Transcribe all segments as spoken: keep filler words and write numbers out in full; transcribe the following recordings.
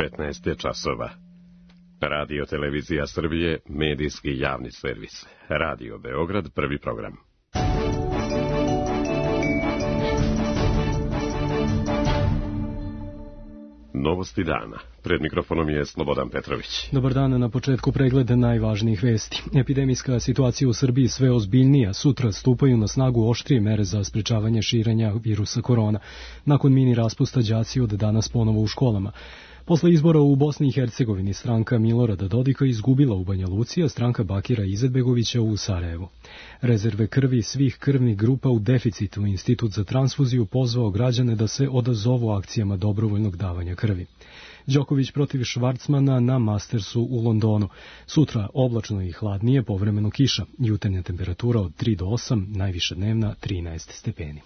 devetnaest je časova. Radio Televizija Srbije, medijski javni servis. Radio Beograd, prvi program. Novosti dana. Pred mikrofonom je Slobodan Petrović. Dobar dan, na početku pregleda najvažnijih vesti. Epidemijska situacija u Srbiji sve ozbiljnija. Sutra stupaju na snagu oštrije mere za sprečavanje širenja virusa korona. Nakon mini raspusta đaci od danas ponovo u školama. Posle izbora u Bosni i Hercegovini stranka Milorada Dodika izgubila u Banja Luci, a stranka Bakira Izetbegovića u Sarajevu. Rezerve krvi svih krvnih grupa u deficitu. Institut za transfuziju pozvao građane da se odazovu akcijama dobrovoljnog davanja krvi. Đoković protiv Švarcmana na Mastersu u Londonu. Sutra oblačno i hladnije, povremeno kiša. Jutarnja temperatura od tri do osam, najviša dnevna trinaest stepeni.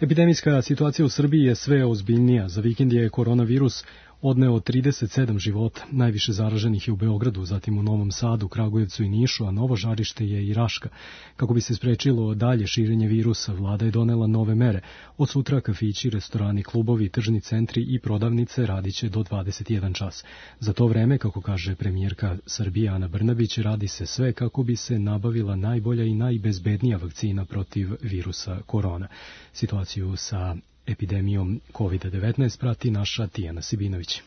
Epidemijska situacija u Srbiji je sve ozbiljnija. Za vikend je koronavirus odneo trideset sedam života. Najviše zaraženih je u Beogradu, zatim u Novom Sadu, Kragujevcu i Nišu, a novo žarište je i Raška. Kako bi se sprečilo dalje širenje virusa, vlada je donela nove mere. Od sutra kafići, restorani, klubovi, tržni centri i prodavnice radiće do dvadeset jedan čas. Za to vreme, kako kaže premijerka Srbije Ana Brnabić, radi se sve kako bi se nabavila najbolja i najbezbednija vakcina protiv virusa korona. Situaciju sa epidemijom kovid devetnaest prati naša Tijana Sibinović.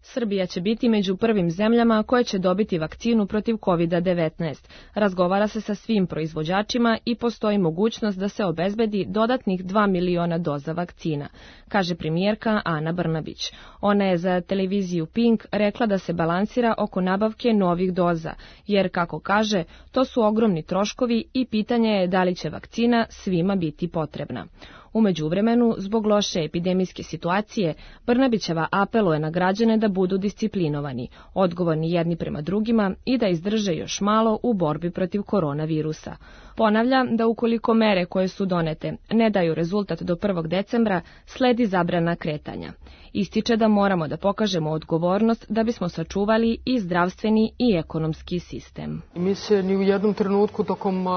Srbija će biti među prvim zemljama koje će dobiti vakcinu protiv kovid devetnaest. Razgovara se sa svim proizvođačima i postoji mogućnost da se obezbedi dodatnih dva miliona doza vakcina, kaže premijerka Ana Brnabić. Ona je za televiziju Pink rekla da se balansira oko nabavke novih doza, jer, kako kaže, to su ogromni troškovi i pitanje je da li će vakcina svima biti potrebna. U međuvremenu, zbog loše epidemijske situacije, Brnabićeva apeluje na građane da budu disciplinovani, odgovorni jedni prema drugima i da izdrže još malo u borbi protiv koronavirusa. Ponavlja da ukoliko mere koje su donete ne daju rezultat do prvog decembra, sledi zabrana kretanja. Ističe da moramo da pokažemo odgovornost da bismo sačuvali i zdravstveni i ekonomski sistem. Mi se ni u jednom trenutku tokom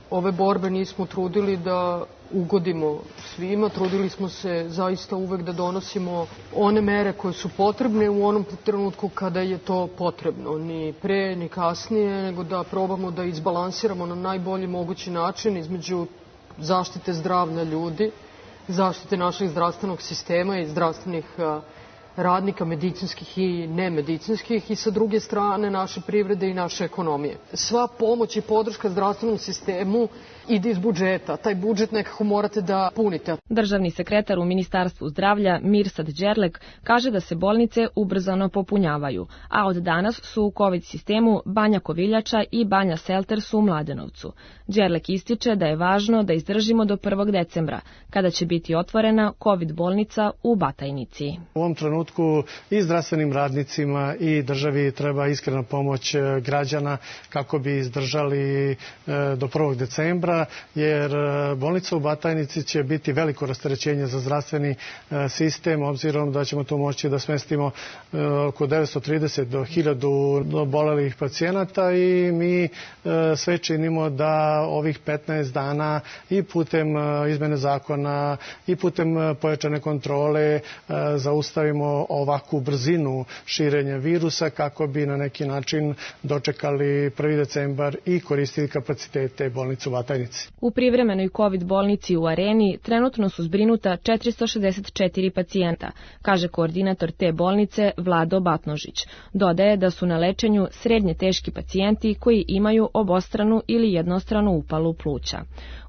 ove borbe nismo trudili da ugodimo svima, trudili smo se zaista uvek da donosimo one mere koje su potrebne u onom trenutku kada je to potrebno, ni pre ni kasnije, nego da probamo da izbalansiramo na najbolji mogući način između zaštite zdravlja ljudi, zaštite našeg zdravstvenog sistema i zdravstvenih radnika, medicinskih i nemedicinskih, i sa druge strane naše privrede i naše ekonomije. Sva pomoć i podrška zdravstvenom sistemu ide iz budžeta. Taj budžet nekako morate da punite. Državni sekretar u Ministarstvu zdravlja Mirsad Đerlek kaže da se bolnice ubrzano popunjavaju, a od danas su u COVID sistemu Banja Koviljača i Banja Selters u Mladenovcu. Đerlek ističe da je važno da izdržimo do prvog decembra, kada će biti otvorena COVID bolnica u Batajnici. U ovom trenutku i zdravstvenim radnicima i državi treba iskrena pomoć građana kako bi izdržali do prvog decembra, jer bolnica u Batajnici će biti veliko rasterećenje za zdravstveni sistem, obzirom da ćemo tu moći da smestimo oko devetsto trideset do hiljadu obolelih pacijenata, i mi sve činimo da ovih petnaest dana i putem izmene zakona i putem pojačane kontrole zaustavimo ovakvu brzinu širenja virusa kako bi na neki način dočekali prvi decembar i koristili kapacitete bolnice u Batajnici. U privremenoj COVID bolnici u Areni trenutno su zbrinuta četiristo šezdeset četiri pacijenta, kaže koordinator te bolnice Vlado Batnožić. Dodaje da su na lečenju srednje teški pacijenti koji imaju obostranu ili jednostranu upalu pluća.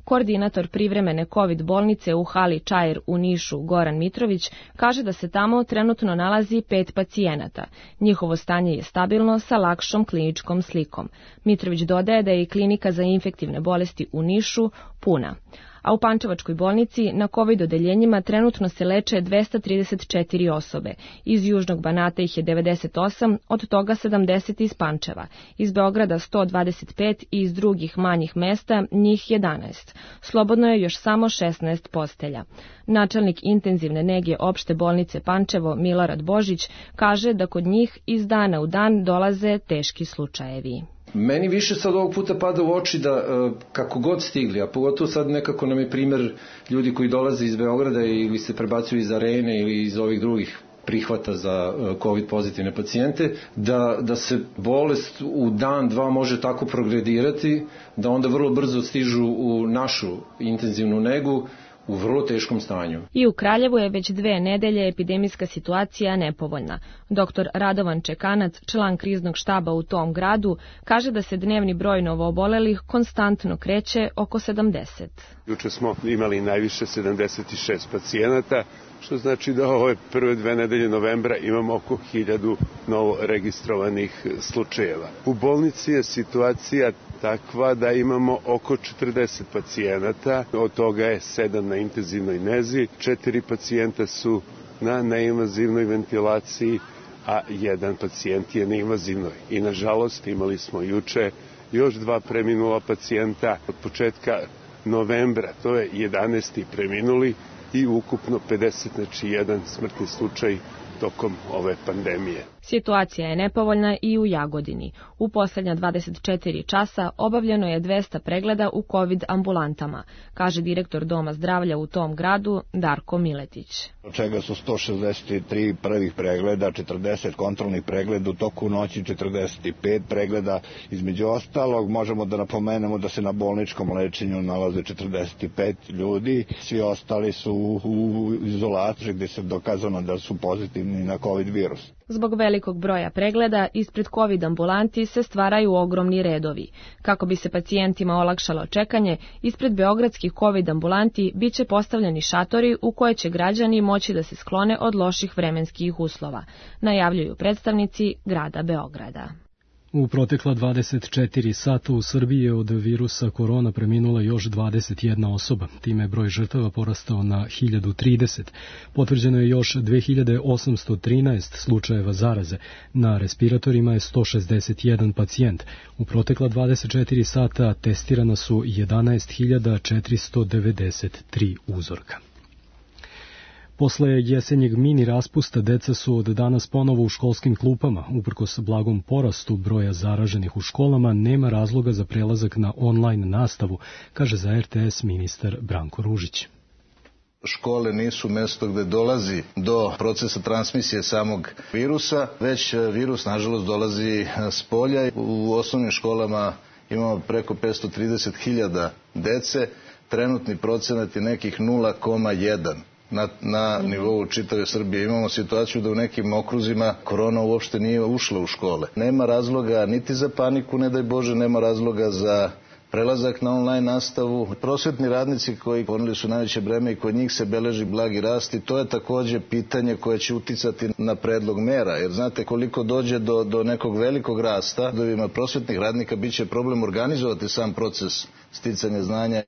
Koordinator privremene COVID bolnice u hali Čair u Nišu, Goran Mitrović, kaže da se tamo trenutno nalazi pet pacijenata. Njihovo stanje je stabilno sa lakšom kliničkom slikom. Mitrović dodaje da je i klinika za infektivne bolesti u Nišu puna. A u Pančevačkoj bolnici na COVID odeljenjima trenutno se leče dvesta trideset četiri osobe. Iz Južnog Banata ih je devedeset osam, od toga sedamdeset iz Pančeva. Iz Beograda sto dvadeset pet i iz drugih manjih mesta njih jedanaest. Slobodno je još samo šesnaest postelja. Načelnik intenzivne nege opšte bolnice Pančevo Milorad Božić kaže da kod njih iz dana u dan dolaze teški slučajevi. Meni više sad ovog puta pada u oči da kako god stigli, a pogotovo sad nekako nam je primer ljudi koji dolaze iz Beograda ili se prebacuju iz Arene ili iz ovih drugih prihvata za COVID pozitivne pacijente, da, da se bolest u dan, dva može tako progredirati, da onda vrlo brzo stižu u našu intenzivnu negu, u vrlo teškom stanju. I u Kraljevu je već dve nedelje epidemijska situacija nepovoljna. Doktor Radovan Čekanac, član kriznog štaba u tom gradu, kaže da se dnevni broj novoobolelih konstantno kreće oko sedamdeset. Juče smo imali najviše sedamdeset šest pacijenata, što znači da ove prve dve nedelje novembra imamo oko hiljadu novo registrovanih slučajeva. U bolnici je situacija takva da imamo oko četrdeset pacijenata, od toga je sedam na intenzivnoj nezi, četiri pacijenta su na neinvazivnoj ventilaciji, a jedan pacijent je na invazivnoj. I nažalost imali smo juče još dva preminula pacijenta od početka novembra, to je jedanaesti preminuli i ukupno pedeset, znači jedan smrtni slučaj tokom ove pandemije. Situacija je nepovoljna i u Jagodini. U poslednja dvadeset četiri časa obavljeno je dvesta pregleda u COVID ambulantama, kaže direktor Doma zdravlja u tom gradu Darko Miletić. Od čega su sto šezdeset tri prvih pregleda, četrdeset kontrolnih pregleda, u toku noći četrdeset pet pregleda. Između ostalog možemo da napomenemo da se na bolničkom lečenju nalaze četrdeset pet ljudi, svi ostali su u izolaciji gde se dokazano da su pozitivni na COVID virus. Zbog velikog broja pregleda, ispred COVID ambulanti se stvaraju ogromni redovi. Kako bi se pacijentima olakšalo čekanje, ispred beogradskih COVID ambulanti biće postavljeni šatori u koje će građani moći da se sklone od loših vremenskih uslova, najavljuju predstavnici grada Beograda. U protekla dvadeset četiri sata u Srbiji je od virusa korona preminula još dvadeset jedna osoba. Time je broj žrtava porastao na hiljadu trideset. Potvrđeno je još dve hiljade osamsto trinaest slučajeva zaraze. Na respiratorima je sto šezdeset jedan pacijent. U protekla dvadeset četiri sata testirana su jedanaest hiljada četiristo devedeset tri uzorka. Posle jesenjeg mini raspusta deca su od danas ponovo u školskim klupama. Uprkos blagom porastu broja zaraženih u školama, nema razloga za prelazak na online nastavu, kaže za er te es ministar Branko Ružić. Škole nisu mesto gde dolazi do procesa transmisije samog virusa, već virus nažalost dolazi s polja. U osnovnim školama imamo preko petsto trideset hiljada dece, trenutni procenat je nekih nula zarez jedan. Na, na nivou čitave Srbije. Imamo situaciju da u nekim okruzima korona uopšte nije ušla u škole. Nema razloga niti za paniku, ne daj Bože, nema razloga za prelazak na online nastavu. Prosvetni radnici koji poneli su najveće breme i kod njih se beleži blagi rast i to je takođe pitanje koje će uticati na predlog mera. Jer znate koliko dođe do, do nekog velikog rasta, da prosvetnih radnika biće problem organizovati sam proces sticanja znanja.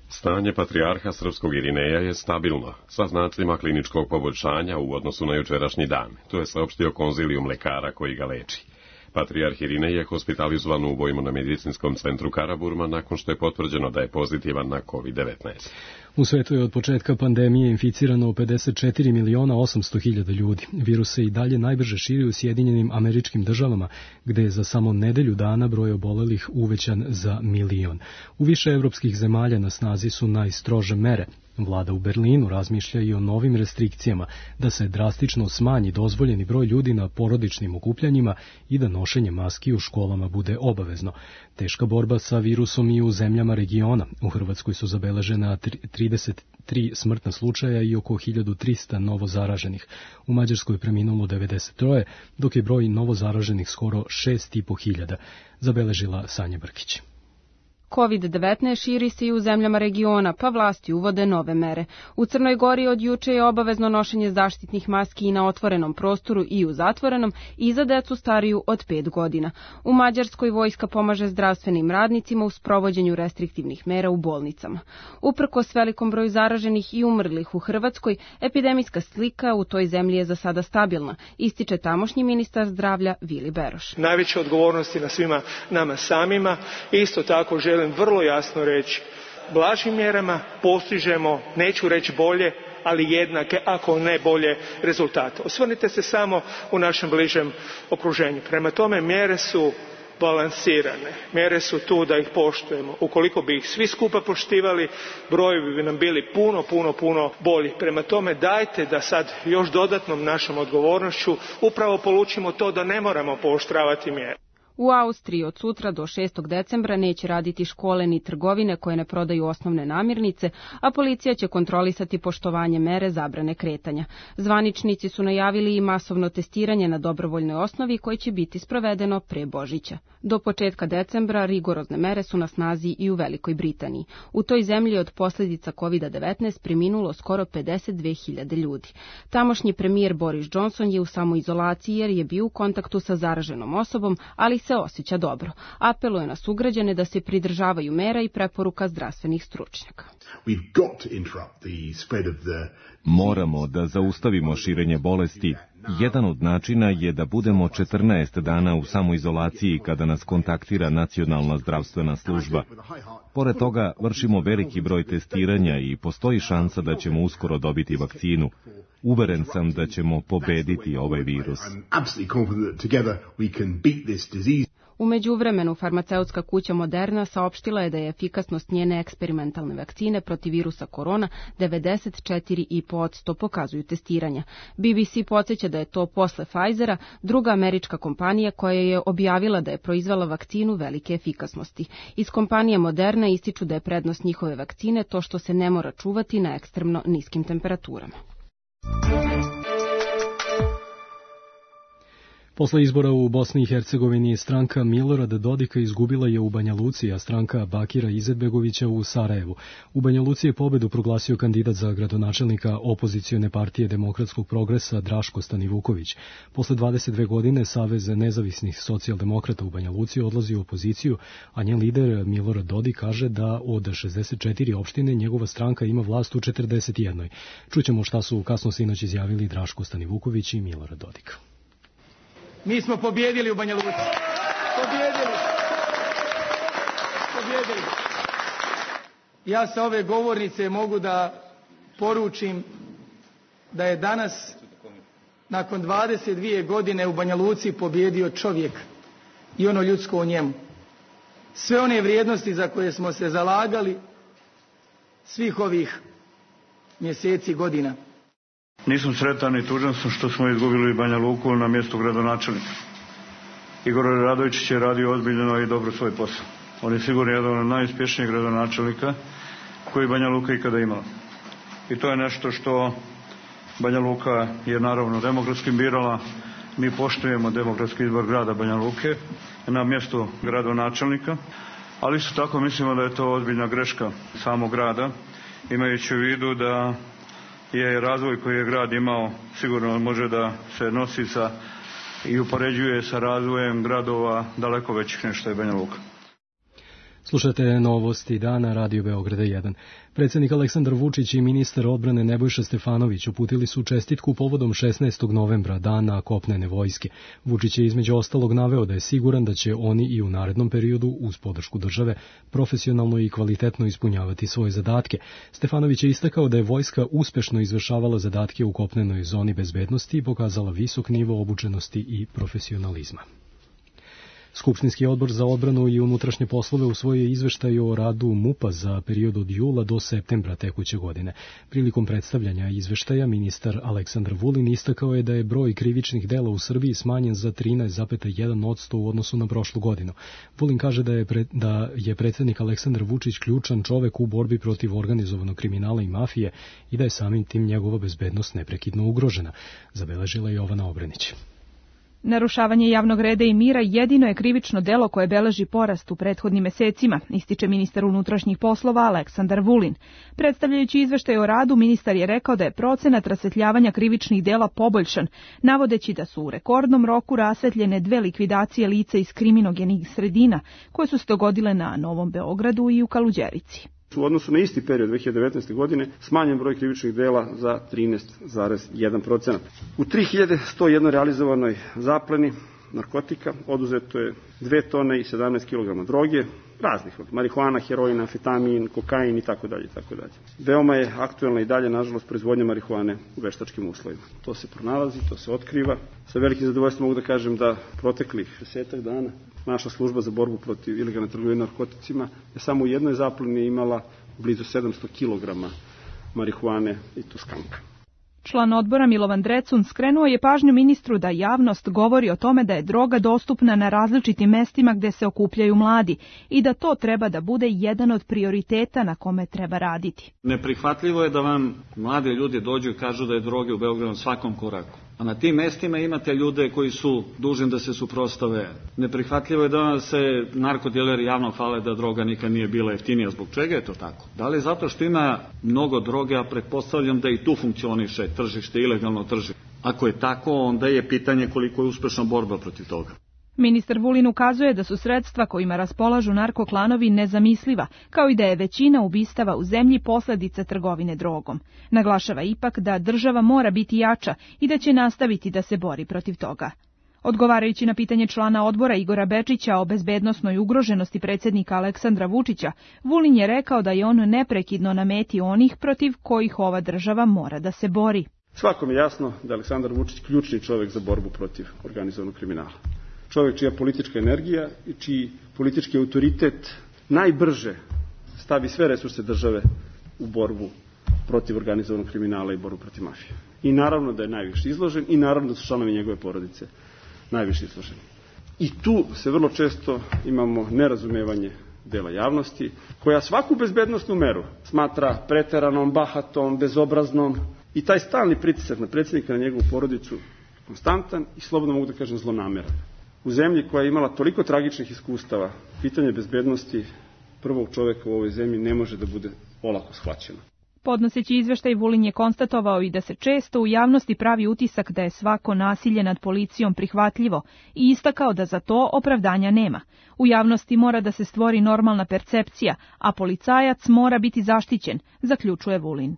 Stanje patrijarha srpskog Irineja je stabilno, sa znacima kliničkog poboljšanja u odnosu na jučerašnji dan. To je saopštio konzilijum lekara koji ga leči. Patrijarh Irinej je hospitalizovan u Vojno-medicinskom centru Karaburma nakon što je potvrđeno da je pozitivan na COVID devetnaest. U svetu je od početka pandemije inficirano pedeset četiri miliona osamsto hiljada ljudi. Virus se i dalje najbrže širi u Sjedinjenim Američkim Državama, gde je za samo nedelju dana broj obolelih uvećan za milion. U više evropskih zemalja na snazi su najstrože mere. Vlada u Berlinu razmišlja i o novim restrikcijama, da se drastično smanji dozvoljeni broj ljudi na porodičnim okupljanjima i da nošenje maski u školama bude obavezno. Teška borba sa virusom i u zemljama regiona. U Hrvatskoj su zabeležena trideset tri smrtna slučaja i oko hiljadu trista novo zaraženih. U Mađarskoj preminulo devedeset tri, dok je broj novo zaraženih skoro šest i po hiljada, zabeležila Sanja Brkić. COVID devetnaest širi se i u zemljama regiona, pa vlasti uvode nove mere. U Crnoj Gori od juče je obavezno nošenje zaštitnih maski i na otvorenom prostoru i u zatvorenom i za decu stariju od pet godina. U Mađarskoj vojska pomaže zdravstvenim radnicima u sprovođenju restriktivnih mera u bolnicama. Uprkos velikom broju zaraženih i umrlih u Hrvatskoj, epidemijska slika u toj zemlji je za sada stabilna, ističe tamošnji ministar zdravlja Vili Beroš. Najveća odgovornost je na svima nama samima. Isto tako želim vrlo jasno reći, blažim mjerama postižemo, neću reći bolje, ali jednake, ako ne bolje, rezultate. Osvrnite se samo u našem bližem okruženju. Prema tome, mjere su balansirane. Mjere su tu da ih poštujemo. Ukoliko bi ih svi skupa poštivali, brojevi bi nam bili puno, puno, puno bolji. Prema tome, dajte da sad još dodatnom našom odgovornošću upravo polučimo to da ne moramo pooštravati mjere. U Austriji od sutra do šestog decembra neće raditi škole ni trgovine koje ne prodaju osnovne namirnice, a policija će kontrolisati poštovanje mere zabrane kretanja. Zvaničnici su najavili i masovno testiranje na dobrovoljnoj osnovi koje će biti sprovedeno pre Božića. Do početka decembra rigorozne mere su na snazi i u Velikoj Britaniji. U toj zemlji od posljedica kovid devetnaest preminulo skoro pedeset dve hiljade ljudi. Tamošnji premijer Boris Johnson je u samoizolaciji jer je bio u kontaktu sa zaraženom osobom, ali se osjeća dobro. Apeluje na sugrađane da se pridržavaju mera i preporuka zdravstvenih stručnjaka. Moramo da zaustavimo širenje bolesti. Jedan od načina je da budemo četrnaest dana u samoizolaciji kada nas kontaktira Nacionalna zdravstvena služba. Pored toga, vršimo veliki broj testiranja i postoji šansa da ćemo uskoro dobiti vakcinu. Uveren sam da ćemo pobediti ovaj virus. U međuvremenu, farmaceutska kuća Moderna saopštila je da je efikasnost njene eksperimentalne vakcine protiv virusa korona devedeset četiri zarez pet posto pokazuju testiranja. B B C podsjeća da je to posle Pfizera druga američka kompanija koja je objavila da je proizvela vakcinu velike efikasnosti. Iz kompanije Moderna ističu da je prednost njihove vakcine to što se ne mora čuvati na ekstremno niskim temperaturama. Posle izbora u Bosni i Hercegovini stranka Milorada Dodika izgubila je u Banja Luci, a stranka Bakira Izetbegovića u Sarajevu. U Banja Luci je pobedu proglasio kandidat za gradonačelnika opozicione partije Demokratskog progresa Draško Stanivuković. Posle dvadeset dve godine Savez nezavisnih socijaldemokrata u Banja Luci odlazi u opoziciju, a njen lider Milorad Dodik kaže da od šezdeset četiri opštine njegova stranka ima vlast u četrdeset jedno. Čućemo šta su kasno sinoć izjavili Draško Stanivuković i Milorad Dodik. Mi smo pobjedili u Banja Luci. Pobjedili. Pobjedili. Ja sa ove govornice mogu da poručim da je danas, nakon dvadeset dvije godine u Banja Luci, pobjedio čovjek i ono ljudsko u njemu. Sve one vrijednosti za koje smo se zalagali svih ovih mjeseci i godina. Nisam sretan i tužan sam što smo izgubili Banja Luku na mjestu gradonačelnika. Igor Radovičić je radio ozbiljno i dobro svoj posao. On je sigurno jedan od najuspješnijih gradonačelnika koji Banja Luka ikada imala. I to je nešto što Banja Luka je naravno demokratski birala. Mi poštujemo demokratski izbor grada Banja Luke na mjestu gradonačelnika, ali isto tako mislimo da je to ozbiljna greška samog grada, imajući u vidu da je razvoj koji je grad imao sigurno može da se nosi sa i upoređuje sa razvojem gradova daleko većih nego što je Banja Luka. Slušate novosti dana Radio Beograda jedan. Predsjednik Aleksandar Vučić i ministar odbrane Nebojša Stefanović uputili su čestitku povodom šesnaestog novembra, dana kopnene vojske. Vučić je između ostalog naveo da je siguran da će oni i u narednom periodu, uz podršku države, profesionalno i kvalitetno ispunjavati svoje zadatke. Stefanović je istakao da je vojska uspešno izvršavala zadatke u kopnenoj zoni bezbednosti i pokazala visok nivo obučenosti i profesionalizma. Skupštinski odbor za odbranu i unutrašnje poslove usvojio je izveštaj o radu MUP-a za period od jula do septembra tekuće godine. Prilikom predstavljanja izveštaja ministar Aleksandar Vulin istakao je da je broj krivičnih dela u Srbiji smanjen za trinaest zarez jedan posto u odnosu na prošlu godinu. Vulin kaže da je, pre, da je predsjednik Aleksandar Vučić ključan čovek u borbi protiv organizovanog kriminala i mafije i da je samim tim njegova bezbednost neprekidno ugrožena, zabeležila je Jovana Obrenić. Narušavanje javnog reda i mira jedino je krivično delo koje beleži porast u prethodnim mesecima, ističe ministar unutrašnjih poslova Aleksandar Vulin. Predstavljajući izveštaj o radu, ministar je rekao da je procenat rasvetljavanja krivičnih dela poboljšan, navodeći da su u rekordnom roku rasvetljene dve likvidacije lica iz kriminogenih sredina, koje su se dogodile na Novom Beogradu i u Kaluđerici. U odnosu na isti period dve hiljade devetnaeste. godine smanjen broj krivičnih dela za trinaest zarez jedan posto. U tri hiljade sto jedan realizovanoj zapleni narkotika oduzeto je dve tone i sedamnaest kilograma droge, raznih, marihuana, heroin, amfetamin, kokain i tako dalje, tako dalje. Veoma je aktuelna i dalje, nažalost, proizvodnja marihuane u veštačkim uslovima. To se pronalazi, to se otkriva. Sa velikim zadovoljstvom mogu da kažem da proteklih desetak dana naša služba za borbu protiv ilegalne trgovine narkoticima je samo u jednoj zapleni imala blizu sedamsto kilograma marihuane i to skanka. Član odbora Milovan Drecun skrenuo je pažnju ministru da javnost govori o tome da je droga dostupna na različitim mestima gde se okupljaju mladi i da to treba da bude jedan od prioriteta na kome treba raditi. Neprihvatljivo je da vam mladi ljudi dođu i kažu da je droge u Beogradu na svakom koraku. A na tim mestima imate ljude koji su dužni da se suprotstave. Neprihvatljivo je da se narkodileri javno hvale da droga nikad nije bila jeftinija. Zbog čega je to tako? Da li zato što ima mnogo droge, a pretpostavljam da i tu funkcioniše tržište, ilegalno tržište. Ako je tako, onda je pitanje koliko je uspešna borba protiv toga. Ministar Vulin ukazuje da su sredstva kojima raspolažu narkoklanovi nezamisliva, kao i da je većina ubistava u zemlji posledica trgovine drogom. Naglašava ipak da država mora biti jača i da će nastaviti da se bori protiv toga. Odgovarajući na pitanje člana odbora Igora Bečića o bezbednosnoj ugroženosti predsjednika Aleksandra Vučića, Vulin je rekao da je on neprekidno na meti onih protiv kojih ova država mora da se bori. Svakom je jasno da je Aleksandar Vučić ključni čovjek za borbu protiv organizovanog kriminala. Čovjek čija politička energija i čiji politički autoritet najbrže stavi sve resurse države u borbu protiv organizovanog kriminala i borbu protiv mafije. I naravno da je najviše izložen i naravno da su članovi njegove porodice najviše izloženi. I tu se vrlo često imamo nerazumevanje dela javnosti, koja svaku bezbednosnu meru smatra preteranom, bahatom, bezobraznom i taj stalni pritisak na predsjednika, na njegovu porodicu, konstantan i slobodno mogu da kažem zlonameran. U zemlji koja je imala toliko tragičnih iskustava, pitanje bezbednosti prvog čoveka u ovoj zemlji ne može da bude olako shvaćeno. Podnoseći izveštaj, Vulin je konstatovao i da se često u javnosti pravi utisak da je svako nasilje nad policijom prihvatljivo i istakao da za to opravdanja nema. U javnosti mora da se stvori normalna percepcija, a policajac mora biti zaštićen, zaključuje Vulin.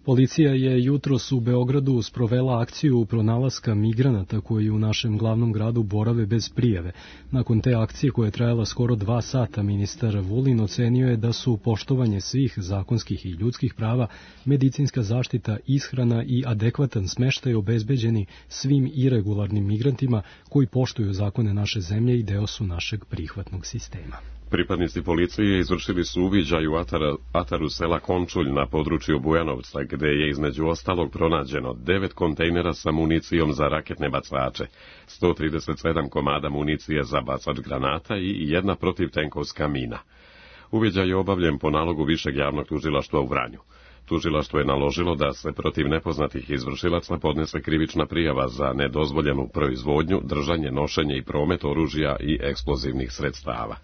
Policija je jutros u Beogradu sprovela akciju pronalaska migranata koji u našem glavnom gradu borave bez prijave. Nakon te akcije koja je trajala skoro dva sata, ministar Vulin ocenio je da su poštovanje svih zakonskih i ljudskih prava, medicinska zaštita, ishrana i adekvatan smeštaj obezbeđeni svim iregularnim migrantima koji poštuju zakone naše zemlje i deo su našeg prihvatnog sistema. Pripadnici policije izvršili su uviđaj u atara, ataru sela Končulj na području Bujanovca, gde je između ostalog pronađeno devet kontejnera sa municijom za raketne bacače, sto trideset sedam komada municije za bacač granata i jedna protivtenkovska mina. Uviđaj je obavljen po nalogu Višeg javnog tužilaštva u Vranju. Tužilaštvo je naložilo da se protiv nepoznatih izvršilaca podnese krivična prijava za nedozvoljenu proizvodnju, držanje, nošenje i promet oružja i eksplozivnih sredstava.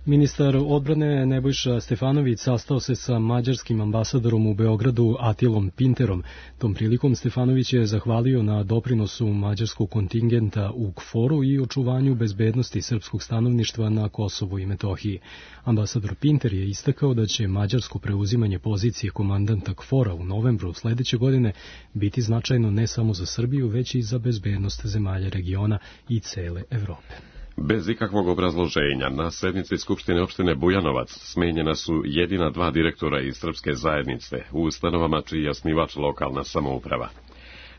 Ministar odbrane Nebojša Stefanović sastao se sa mađarskim ambasadorom u Beogradu Atilom Pinterom. Tom prilikom Stefanović je zahvalio na doprinosu mađarskog kontingenta u KFOR-u i očuvanju bezbednosti srpskog stanovništva na Kosovu i Metohiji. Ambasador Pinter je istakao da će mađarsko preuzimanje pozicije komandanta KFOR-a u novembru sledeće godine biti značajno ne samo za Srbiju, već i za bezbednost zemalja regiona i cele Evrope. Bez ikakvog obrazloženja, na sednici Skupštine opštine Bujanovac smenjena su jedina dva direktora iz srpske zajednice u ustanovama čiji je osnivač lokalna samouprava.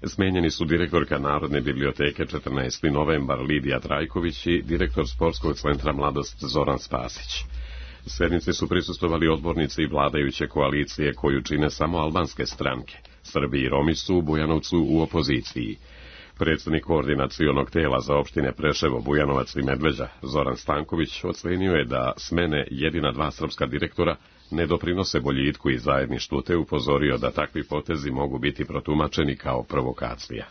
Smenjeni su direktorka Narodne biblioteke četrnaesti novembar Lidija Trajković i direktor Sportskog centra Mladost Zoran Spasić. Sednici su prisustvovali odbornici i vladajuće koalicije koju čine samo albanske stranke. Srbi i Romi su u Bujanovcu u opoziciji. Predsjednik koordinacionog tela za opštine Preševo, Bujanovac i Medveđa, Zoran Stanković, ocenio je da smene jedina dva srpska direktora ne doprinose boljitku i zajedništvu, te upozorio da takvi potezi mogu biti protumačeni kao provokacija.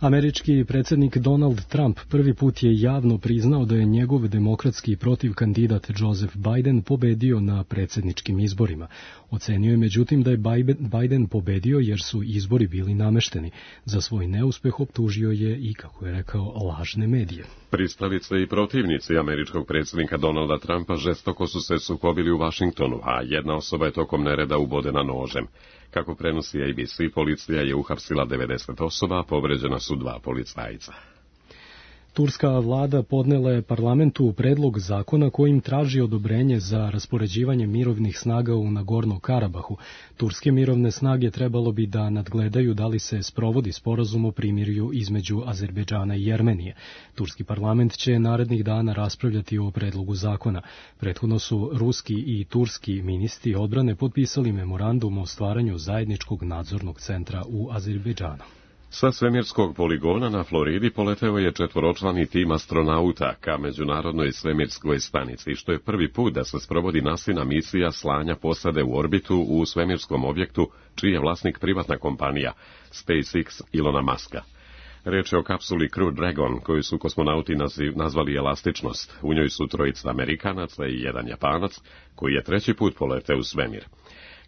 Američki predsjednik Donald Trump prvi put je javno priznao da je njegov demokratski protivkandidat Joseph Biden pobedio na predsjedničkim izborima. Ocenio je međutim da je Biden pobedio jer su izbori bili namešteni. Za svoj neuspeh optužio je i, kako je rekao, lažne medije. Pristalice i protivnici američkog predsjednika Donalda Trumpa žestoko su se sukobili u Vašingtonu, a jedna osoba je tokom nereda ubodena nožem. Kako prenosi A B C, policija je uhapsila devedeset osoba, a povređena su dva policajca. Turska vlada podnela je parlamentu predlog zakona kojim traži odobrenje za raspoređivanje mirovnih snaga u Nagorno Karabahu. Turske mirovne snage trebalo bi da nadgledaju da li se sprovodi sporazum o primirju između Azerbejdžana i Jermenije. Turski parlament će narednih dana raspravljati o predlogu zakona. Prethodno su ruski i turski ministri odbrane potpisali memorandum o stvaranju zajedničkog nadzornog centra u Azerbejdžanu. Sa svemirskog poligona na Floridi poleteo je četvoročlani tim astronauta ka Međunarodnoj svemirskoj stanici, što je prvi put da se sprovodi NASA-ina misija slanja posade u orbitu u svemirskom objektu, čiji je vlasnik privatna kompanija SpaceX Ilona Muska. Reč je o kapsuli Crew Dragon, koju su kosmonauti nazvali Elastičnost. U njoj su trojica Amerikanaca i jedan Japanac, koji je treći put poleteo u svemir.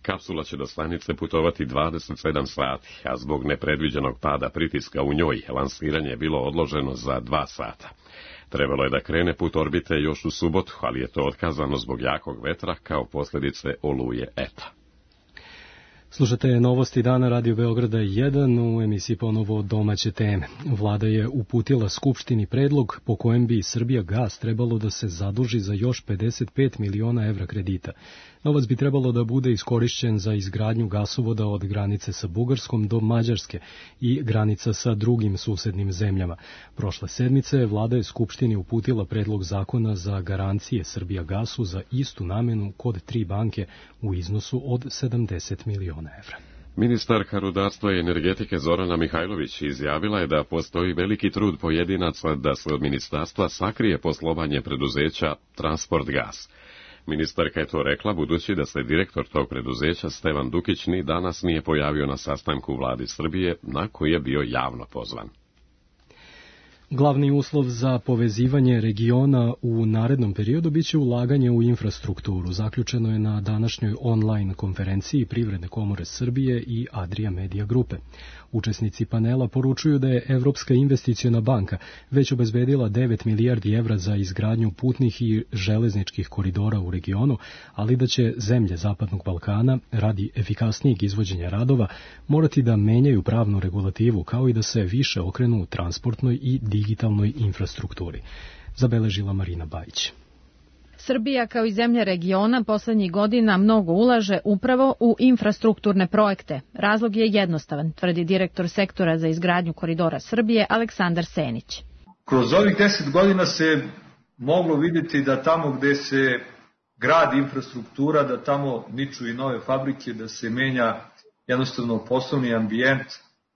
Kapsula će do stanice putovati dvadeset sedam sati, a zbog nepredviđenog pada pritiska u njoj, lansiranje je bilo odloženo za dva sata. Trebalo je da krene put orbite još u subotu, ali je to otkazano zbog jakog vetra kao posljedice oluje Eta. Slušate novosti dana Radio Beograda jedan, u emisiji ponovo domaće teme. Vlada je uputila Skupštini predlog po kojem bi Srbija gas trebalo da se zaduži za još pedeset pet miliona evra kredita. Novac bi trebalo da bude iskorišćen za izgradnju gasovoda od granice sa Bugarskom do Mađarske i granica sa drugim susednim zemljama. Prošle sedmice Vlada je Skupštini uputila predlog zakona za garancije Srbija gasu za istu namenu kod tri banke u iznosu od sedamdeset miliona evra. Ministarka rudarstva i energetike Zorana Mihajlović izjavila je da postoji veliki trud pojedinaca da se od ministarstva sakrije poslovanje preduzeća Transport gas. Ministarka je to rekla budući da se direktor tog preduzeća Stevan Dukić ni danas nije pojavio na sastanku vlade Srbije na koji je bio javno pozvan. Glavni uslov za povezivanje regiona u narednom periodu biće ulaganje u infrastrukturu. Zaključeno je na današnjoj online konferenciji Privredne komore Srbije i Adria Media grupe. Učesnici panela poručuju da je Evropska investiciona banka već obezbedila devet milijardi evra za izgradnju putnih i železničkih koridora u regionu, ali da će zemlje Zapadnog Balkana radi efikasnijeg izvođenja radova morati da menjaju pravnu regulativu kao i da se više okrenu u transportnoj i digitalnoj infrastrukturi. Zabeležila Marina Bajić. Srbija kao i zemlje regiona poslednjih godina mnogo ulaže upravo u infrastrukturne projekte. Razlog je jednostavan, tvrdi direktor sektora za izgradnju koridora Srbije Aleksandar Senić. Kroz ovih deset godina se moglo vidjeti da tamo gde se gradi infrastruktura, da tamo niču i nove fabrike, da se menja jednostavno poslovni ambijent,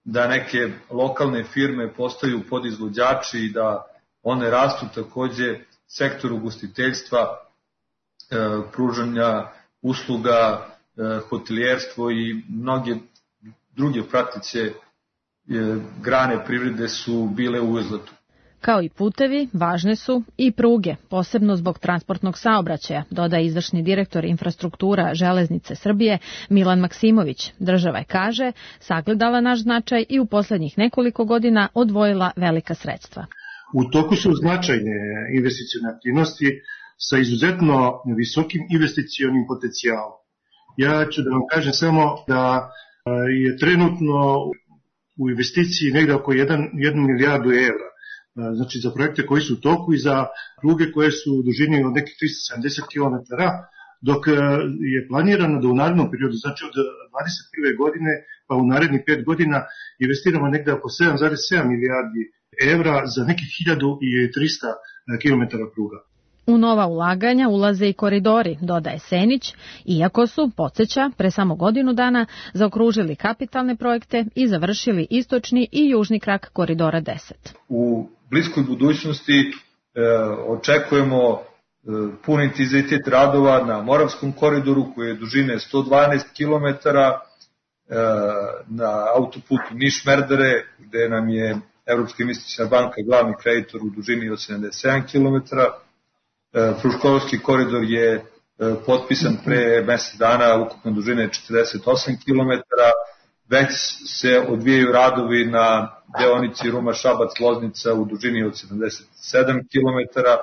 da neke lokalne firme postaju podizvođači i da one rastu. Takođe sektor ugostiteljstva, e, pružanja usluga, e, hotelijerstvo i mnoge druge prateće e, grane privrede su bile u uzletu. Kao i putevi, važne su i pruge, posebno zbog transportnog saobraćaja, dodaje izvršni direktor infrastruktura Železnice Srbije Milan Maksimović. Država je, kaže, sagledala naš značaj i u poslednjih nekoliko godina odvojila velika sredstva. U toku su značajne investicione aktivnosti sa izuzetno visokim investicionim potencijalom. Ja ću da vam kažem samo da je trenutno u investiciji negde oko jednu milijardu evra. Znači za projekte koji su u toku i za pruge koje su u dužini od nekih trista sedamdeset kilometara, dok je planirano da u narednom periodu, znači od dvadeset prve godine pa u narednih pet godina investiramo negde oko sedam zarez sedam milijardi evra za nekih hiljadu trista kilometara pruga. U nova ulaganja ulaze i koridori, dodaje Senić, iako su, podsjeća, pre samo godinu dana zaokružili kapitalne projekte i završili istočni i južni krak koridora deset. U bliskoj budućnosti e, očekujemo e, pun intenzitet radova na Moravskom koridoru koji je dužine sto dvanaest kilometara, e, na autoputu Niš-Merdare gde nam je Evropska investiciona banka glavni kreditor u dužini od sedamdeset sedam kilometara. Fruškogorski koridor je potpisan pre mesec dana, ukupno dužine četrdeset osam kilometara. Već se odvijaju radovi na deonici Ruma-Šabac-Loznica u dužini od sedamdeset sedam kilometara.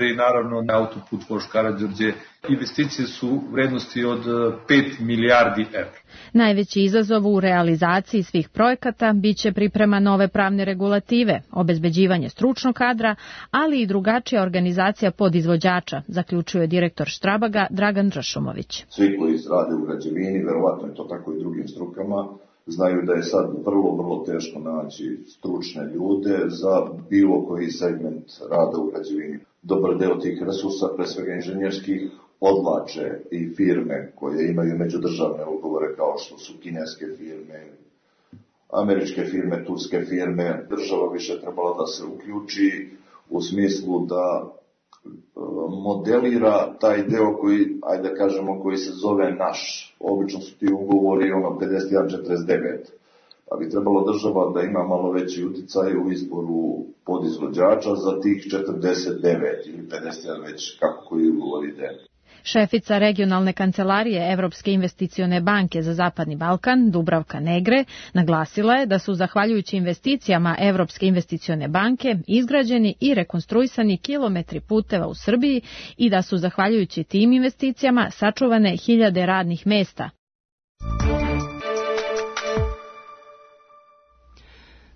i naravno autoput Vožd Karađorđe. Investicije su vrednosti od pet milijardi evra. Najveći izazov u realizaciji svih projekata biće priprema nove pravne regulative, obezbeđivanje stručnog kadra, ali i drugačija organizacija podizvođača, zaključuje direktor Štrabaga Dragan Drašumović. Svi koji rade u građevini, verovatno je to tako i drugim strukama, znaju da je sad vrlo, vrlo teško naći stručne ljude za bilo koji segment rada u građevini. Dobar deo tih resursa, pre svega inženjerskih, odlače i firme koje imaju međudržavne ugovore kao što su kineske firme, američke firme, turske firme. Država više trebala da se uključi u smislu da modelira taj deo koji, ajde da kažemo, koji se zove naš. Obično su ti ugovori ono pedeset jedan četrdeset devet. Pa bi trebalo država da ima malo veći uticaj u izboru podizvođača za tih četrdeset devet ili pedeset jedan već kako koji ugovor ide. Šefica regionalne kancelarije Evropske investicione banke za Zapadni Balkan, Dubravka Negre, naglasila je da su zahvaljujući investicijama Evropske investicione banke izgrađeni i rekonstruisani kilometri puteva u Srbiji i da su zahvaljujući tim investicijama sačuvane hiljade radnih mesta.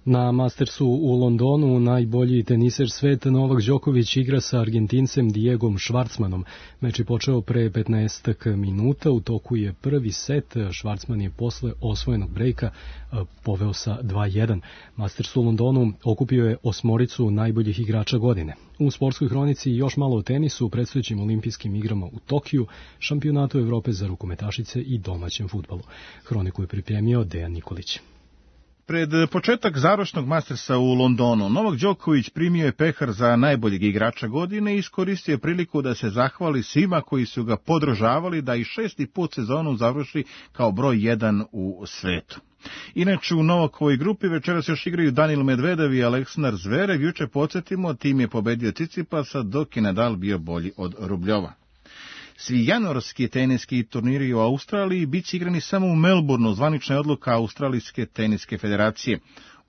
Na Mastersu u Londonu najbolji teniser sveta Novak Đoković igra sa Argentincem Diegom Švarcmanom. Meč je počeo pre petnaestak minuta, u toku je prvi set, Švarcman je posle osvojenog brejka poveo sa dva jedan. Masters u Londonu okupio je osmoricu najboljih igrača godine. U sportskoj hronici još malo o tenisu, predstojećim olimpijskim igrama u Tokiju, šampionatu Evrope za rukometašice i domaćem fudbalu. Hroniku je pripremio Dejan Nikolić. Pred početak završnog Mastersa u Londonu, Novak Đoković primio je pehar za najboljeg igrača godine i iskoristio je priliku da se zahvali svima koji su ga podržavali da i šesti put sezonu završi kao broj jedan u svetu. Inače, u Novakovoj grupi večeras još igraju Danil Medvedev i Aleksandar Zverev. Juče, podsjetimo, tim je pobedio Cicipasa, dok je Nadal bio bolji od Rubljova. Svi januarski teniski turniri u Australiji bit će igrani samo u Melbourneu, zvanična je odluka Australijske teniske federacije.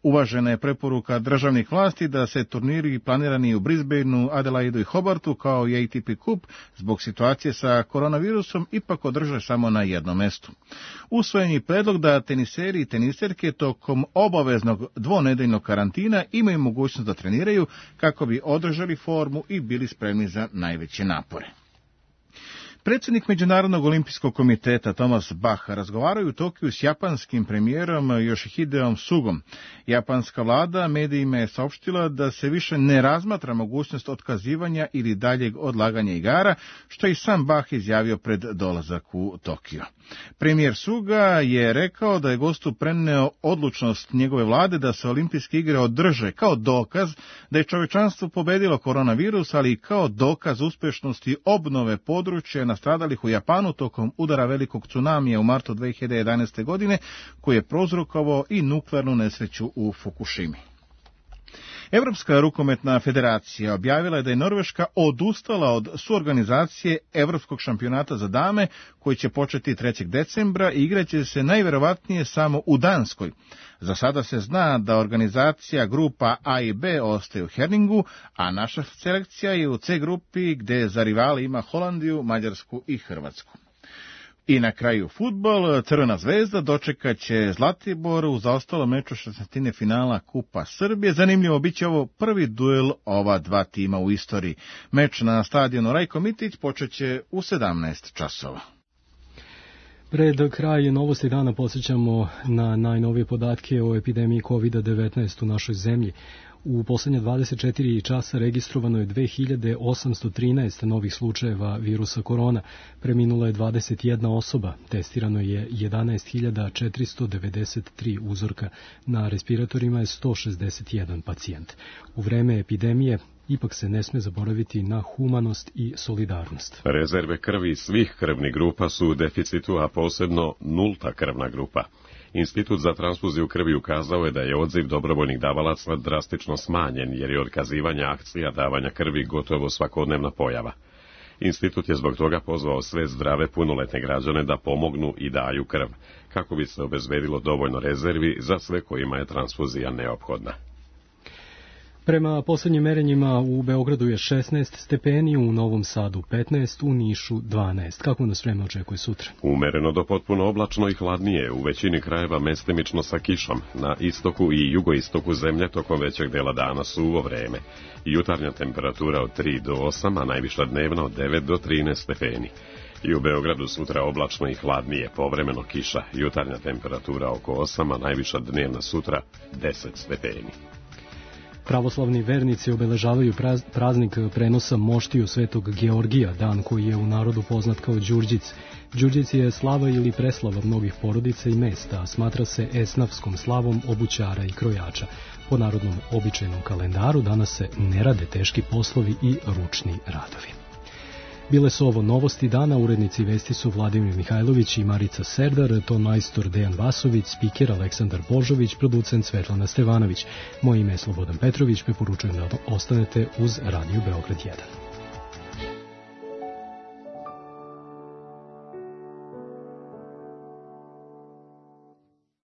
Uvažena je preporuka državnih vlasti da se turniri planirani u Brisbaneu, Adelaidu i Hobartu kao i A T P Cup zbog situacije sa koronavirusom ipak održe samo na jednom mestu. Usvojen je predlog da teniseri i teniserke tokom obaveznog dvonedeljnog karantina imaju mogućnost da treniraju kako bi održali formu i bili spremni za najveće napore. Predsjednik Međunarodnog olimpijskog komiteta Thomas Bach razgovaraju u Tokiju s japanskim premijerom Yoshihideom Sugom. Japanska vlada medijima je saopštila da se više ne razmatra mogućnost otkazivanja ili daljeg odlaganja igara, što je i sam Bach izjavio pred dolazak u Tokio. Premijer Suga je rekao da je gostu preneo odlučnost njegove vlade da se olimpijske igre održe kao dokaz da je čovečanstvo pobedilo koronavirus, ali i kao dokaz uspešnosti obnove područja nastradalih u Japanu tokom udara velikog tsunamija u martu dve hiljade jedanaeste. godine, koji je prouzrokovao i nuklearnu nesreću u Fukushimi. Evropska rukometna federacija objavila je da je Norveška odustala od suorganizacije Evropskog šampionata za dame, koji će početi trećeg decembra i igraće se najverovatnije samo u Danskoj. Za sada se zna da organizacija grupa A i B ostaje u Herningu, a naša selekcija je u C grupi gde za rivali ima Holandiju, Mađarsku i Hrvatsku. I na kraju fudbal, Crvena zvezda dočekat će Zlatibor u zaostalom meču šesnaestine finala Kupa Srbije. Zanimljivo, bit će ovo prvi duel ova dva tima u istoriji. Meč na stadionu Rajko Mitić počeće u sedamnaest časova. Pred kraj novosti dana podsjećamo na najnovije podatke o epidemiji kovid devetnaest u našoj zemlji. U poslednje dvadeset četiri časa registrovano je dve hiljade osamsto trinaest novih slučajeva virusa korona, preminula je dvadeset jedna osoba, testirano je jedanaest hiljada četiristo devedeset tri uzorka, na respiratorima je sto šezdeset jedan pacijent. U vreme epidemije ipak se ne sme zaboraviti na humanost i solidarnost. Rezerve krvi svih krvnih grupa su u deficitu, a posebno nulta krvna grupa. Institut za transfuziju krvi ukazao je da je odziv dobrovoljnih davalaca drastično smanjen, jer je otkazivanje akcija davanja krvi gotovo svakodnevna pojava. Institut je zbog toga pozvao sve zdrave punoletne građane da pomognu i daju krv, kako bi se obezbedilo dovoljno rezervi za sve kojima je transfuzija neophodna. Prema poslednjim merenjima u Beogradu je šesnaest stepeni, u Novom Sadu petnaest, u Nišu dvanaest. Kako nas vreme očekuje sutra? Umereno do potpuno oblačno i hladnije, u većini krajeva mestimično sa kišom. Na istoku i jugoistoku zemlje tokom većeg dela dana suvo vreme. Jutarnja temperatura od tri do osam, a najviša dnevna od devet do trinaest stepeni. I u Beogradu sutra oblačno i hladnije, povremeno kiša. Jutarnja temperatura oko osam, a najviša dnevna sutra deset stepeni. Pravoslavni vernici obeležavaju praznik prenosa moštiju Svetog Georgija, dan koji je u narodu poznat kao Đurđic. Đurđic je slava ili preslava mnogih porodica i mesta, a smatra se esnafskom slavom obućara i krojača. Po narodnom običajnom kalendaru danas se ne rade teški poslovi i ručni radovi. Bile su ovo novosti dana, urednici vesti su Vladimir Mihajlović i Marica Serdar, ton majstor Dejan Vasović, spiker Aleksandar Božović, producent Svetlana Stevanović. Moje ime je Slobodan Petrović, preporučujem da ostanete uz Radio Beograd jedan.